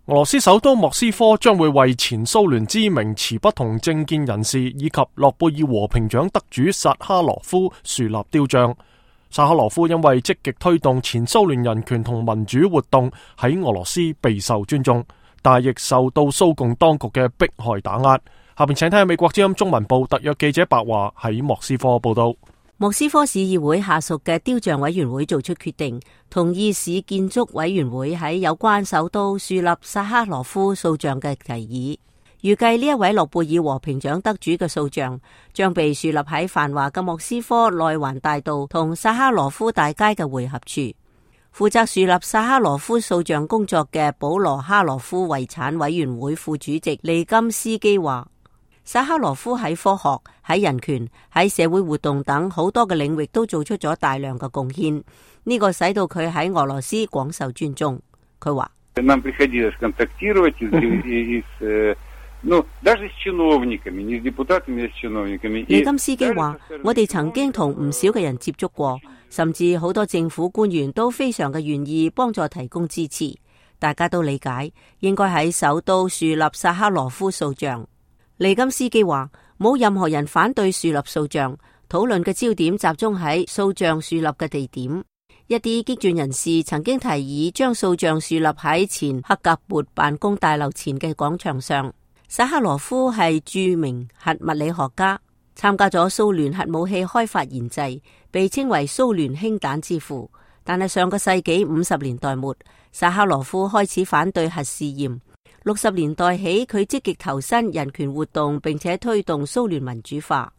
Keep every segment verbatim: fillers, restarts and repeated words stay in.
俄羅斯首都莫斯科將會為前蘇聯知名持不同政見人士以及諾貝爾和平獎得主薩哈羅夫樹立雕像。薩哈羅夫因為積極推動前蘇聯人權同民主活動，喺俄羅斯備受尊重，但亦受到蘇共當局嘅迫害打壓。下邊請睇下美國之音中文部特約記者白華喺莫斯科報道。莫斯科市議會下屬嘅雕像委員會做出決定，同意市建築委員會喺有關首都樹立薩哈羅夫塑像嘅提議。預計呢一位諾貝爾和平獎得主嘅塑像將被樹立喺繁華嘅莫斯科內環大道同薩哈羅夫大街嘅匯合處。負責樹立薩哈羅夫塑像工作嘅保羅哈羅夫遺產委員會副主席利金斯基話，薩哈羅夫喺科學、喺人權、喺社會活動等好多嘅領域都做出咗大量嘅貢獻，呢、這個使到佢喺俄羅斯廣受尊重。佢話，利金斯基話，我哋曾經同唔少嘅人接觸過，甚至好多政府官員都非常嘅願意幫助提供支持。大家都理解應該喺首都樹立薩哈羅夫塑像。利金斯基話，冇任何人反對樹立塑像，討論嘅焦點集中喺塑像樹立嘅地點。一啲激進人士曾經提議將塑像樹立喺前克格勃辦公大樓前嘅廣場上。薩哈羅夫係著名核物理學家，參加咗蘇聯核武器開發研製，被稱為蘇聯氫彈之父。但係上個世紀五十年代末，薩哈羅夫開始反對核試驗。六十年代起，佢積極投身人權活動，並且推動蘇聯民主化。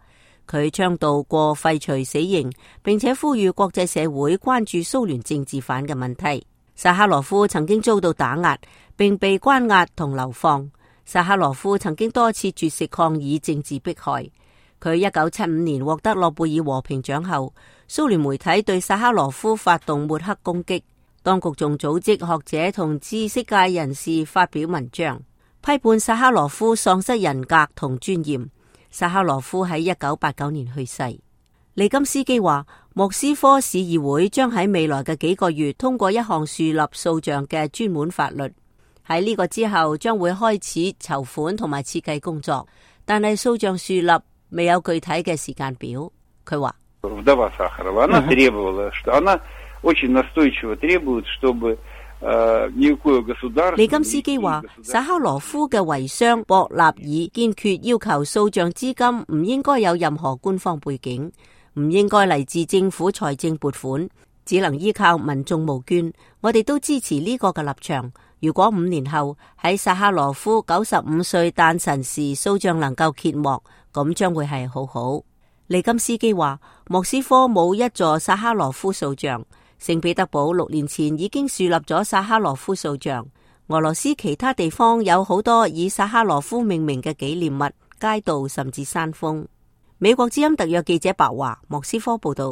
佢倡導過廢除死刑，並且呼籲國際社會關注蘇聯政治犯嘅問題。薩哈羅夫曾經遭到打壓，並被關押同流放。薩哈羅夫曾經多次絕食抗議政治迫害。佢一九七五年獲得諾貝爾和平獎後，蘇聯媒體對薩哈羅夫發動抹黑攻擊。當局仲組織學者同知識界人士發表文章，批判薩哈羅夫喪失人格同尊嚴。薩哈羅夫喺一九八九年去世。利金斯基話，莫斯科市議會將喺未來嘅幾個月通過一項樹立塑像嘅專門法律。喺呢個之後，將會開始籌款同埋設計工作，但係塑像樹立未有具體嘅時間表。佢話，利金斯基話，薩哈羅夫嘅遺孀博納爾堅決要求塑像資金唔應該有任何官方背景，唔應該嚟自政府財政撥款，只能依靠民眾募捐。我哋都支持呢個嘅立場。如果五年後喺薩哈羅夫九十五歲誕辰時塑像能夠揭幕，咁將會係好好。利金斯基話，莫斯科冇一座薩哈羅夫塑像。聖彼得堡六年前已經樹立咗薩哈羅夫塑像。俄羅斯其他地方有好多以薩哈羅夫命名嘅紀念物、街道甚至山峰。美國之音特約記者白華，莫斯科報道。